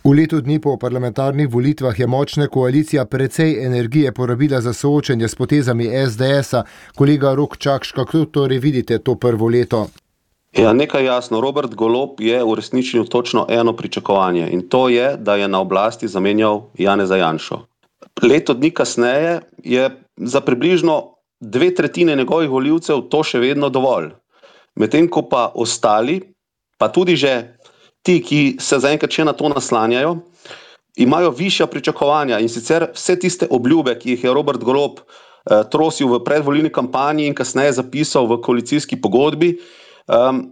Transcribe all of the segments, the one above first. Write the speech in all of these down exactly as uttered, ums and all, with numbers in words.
V letu dni po parlamentarnih volitvah je močna koalicija precej energije porabila za soočenje s potezami es de esa. Kolega Rok Čakš, kako torej vidite to prvo leto? Ja, nekaj jasno. Robert Golob je uresničil točno eno pričakovanje in to je, da je na oblasti zamenjal Janeza Janšo. Leto dni kasneje je za približno dve tretjine njegovih volivcev to še vedno dovolj. Medtem ko pa ostali, pa tudi že ti, ki se zaenkrat še na to naslanjajo, imajo višja pričakovanja in sicer vse tiste obljube, ki jih je Robert Golob eh, trosil v predvolilni kampanji in kasneje zapisal v koalicijski pogodbi, um,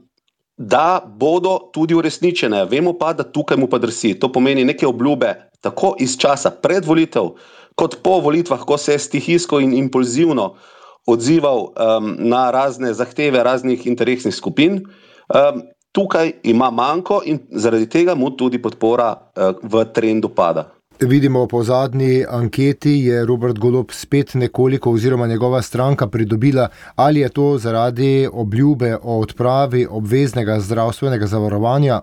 da bodo tudi uresničene. Vemo pa, da tukaj mu pa drsi. To pomeni neke obljube tako iz časa pred volitev, kot po volitvah, ko se je stihijsko in impulzivno odzival um, na razne zahteve raznih interesnih skupin. Um, Tukaj ima manko in zaradi tega mu tudi podpora v trendu pada. Vidimo, po zadnji anketi je Robert Golob spet nekoliko oziroma njegova stranka pridobila. Ali je to zaradi obljube o odpravi obveznega zdravstvenega zavarovanja?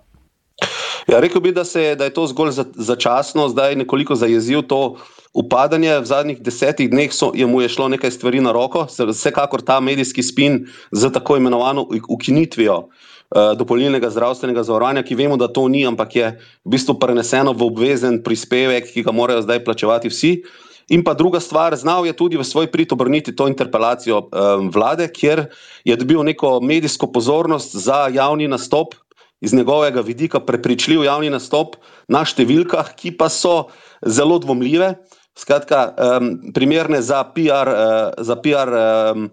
Ja, rekel bi, da, se, da je to zgolj za, začasno, zdaj nekoliko zajezil to upadanje. V zadnjih desetih dneh so, je mu je šlo nekaj stvari na roko, vsekakor ta medijski spin z tako imenovano ukinitvijo dopolnilnega zdravstvenega zavarovanja, ki vemo, da to ni, ampak je v bistvu preneseno v obvezen prispevek, ki ga morajo zdaj plačevati vsi. In pa druga stvar, znal je tudi v svoj prid obrniti to interpelacijo um, vlade, kjer je dobil neko medijsko pozornost za javni nastop, iz njegovega vidika prepričljiv javni nastop na številkah, ki pa so zelo dvomljive, skratka um, primerne za P R, uh, za P R um,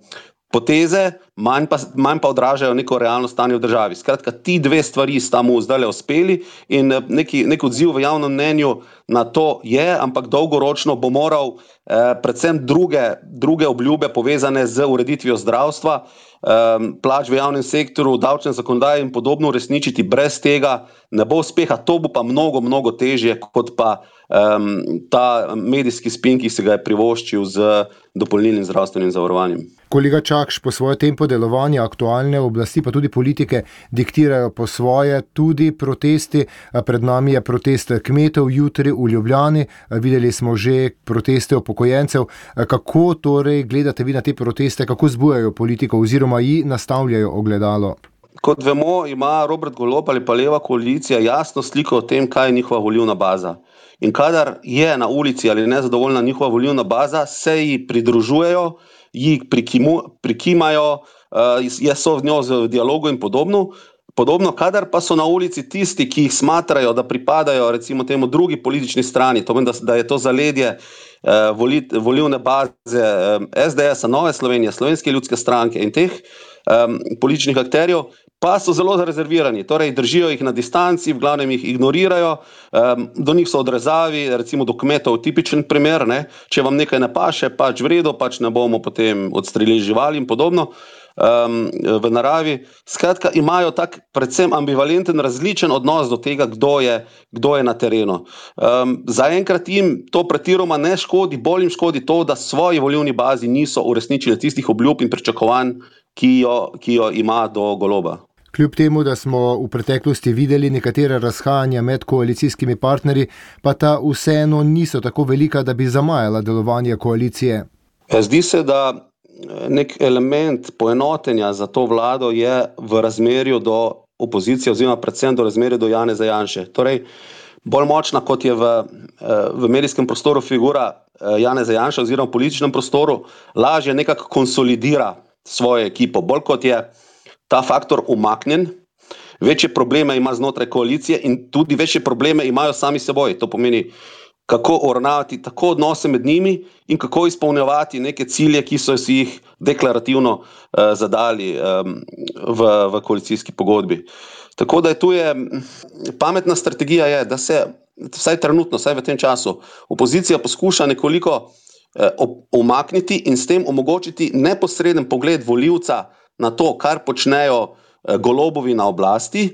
poteze, manj pa, manj pa odražajo neko realno stanje v državi. Skratka, ti dve stvari sta mu zdajle uspeli in neki, nek odziv v javnem mnenju na to je, ampak dolgoročno bo moral eh, predvsem druge, druge obljube povezane z ureditvijo zdravstva, eh, plač v javnem sektorju, davčne zakonodaje in podobno uresničiti. Brez tega ne bo uspeha. To bo pa mnogo, mnogo težje kot pa eh, ta medijski spin, ki se ga je privoščil z dopolnilnim zdravstvenim zavarovanjem. Kolega Čakš, po svoje tempo delovanja aktualne oblasti, pa tudi politike, diktirajo po svoje tudi protesti. Pred nami je protest kmetov jutri v Ljubljani. Videli smo že proteste upokojencev. Kako torej gledate vi na te proteste, kako zbujajo politiko oziroma ji nastavljajo ogledalo? Kot vemo, ima Robert Golob ali pa leva koalicija jasno sliko o tem, kaj je njihova volilna baza. In kadar je na ulici ali nezadovoljna njihova volilna baza, se ji pridružujejo, jih prikimu, prikimajo, uh, so v njo v dialogu in podobno. Podobno, kadar pa so na ulici tisti, ki jih smatrajo, da pripadajo recimo temu drugi politični strani, to pomeni, da, da je to zaledje uh, volit, volilne baze um, es de esa, Nove Slovenije, Slovenske ljudske stranke in teh um, političnih akterjev, pa so zelo rezervirani, torej držijo jih na distanci, v glavnem jih ignorirajo, um, do njih so odrezavi, recimo do kmetov tipičen primer, ne? Če vam nekaj ne paše, pač v redu, pač ne bomo potem odstrelili živali in podobno um, v naravi. Skratka, imajo tak predvsem ambivalenten, različen odnos do tega, kdo je, kdo je na terenu. Um, zaenkrat jim to pretiroma ne škodi, bolj jim škodi to, da svoji volilni bazi niso uresničili tistih obljub in pričakovanj, ki jo, ki jo ima do Goloba. Kljub temu, da smo v preteklosti videli nekatera razhajanja med koalicijskimi partnerji, pa ta vseeno niso tako velika, da bi zamajala delovanje koalicije. Zdi se, da nek element poenotenja za to vlado je v razmerju do opozicije oziroma predvsem do razmerju do Janeza Janše. Torej, bolj močna kot je v, v medijskem prostoru figura Janeza Janše oziroma v političnem prostoru, lažje nekako konsolidira svojo ekipo. Bolj kot je ta faktor umaknjen, večje probleme ima znotraj koalicije in tudi večje probleme imajo sami seboj. To pomeni, kako uravnavati tako odnose med njimi in kako izpolnjevati neke cilje, ki so si jih deklarativno uh, zadali um, v, v koalicijski pogodbi. Tako da je tu je, pametna strategija je, da se vsaj trenutno, vsaj v tem času, opozicija poskuša nekoliko uh, umakniti in s tem omogočiti neposreden pogled volivca na to, kar počnejo Golobovi na oblasti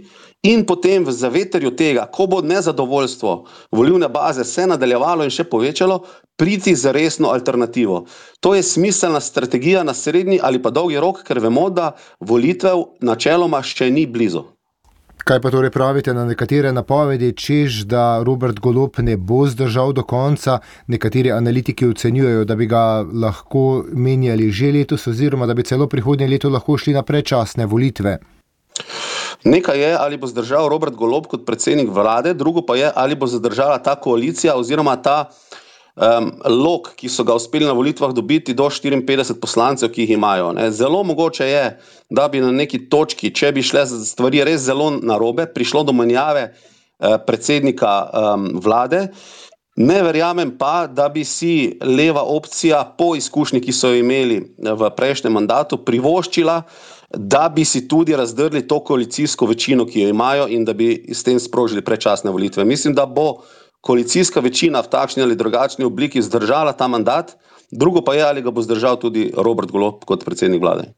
in potem v zavetrju tega, ko bo nezadovoljstvo volilne baze se nadaljevalo in še povečalo, priti za resno alternativo. To je smiselna strategija na srednji ali pa dolgi rok, ker vemo, da volitev načeloma še ni blizu. Kaj pa torej pravite na nekatere napovedi, češ, da Robert Golob ne bo zdržal do konca? Nekateri analitiki ocenjujejo, da bi ga lahko menjali že letos oziroma da bi celo prihodnje leto lahko šli na predčasne volitve. Nekaj je, ali bo zdržal Robert Golob kot predsednik vlade, drugo pa je, ali bo zdržala ta koalicija oziroma ta um, lok, ki so ga uspeli na volitvah dobiti do štiriinpetdeset poslancev, ki jih imajo. Ne. Zelo mogoče je, da bi na neki točki, če bi šle stvari res zelo narobe, prišlo do menjave eh, predsednika um, vlade. Ne verjamem pa, da bi si leva opcija po izkušnji, ki so jo imeli v prejšnjem mandatu, privoščila, da bi si tudi razdrli to koalicijsko večino, ki jo imajo in da bi s tem sprožili predčasne volitve. Mislim, da bo koalicijska večina v takšni ali drugačni obliki zdržala ta mandat, drugo pa je, ali ga bo zdržal tudi Robert Golob kot predsednik vlade.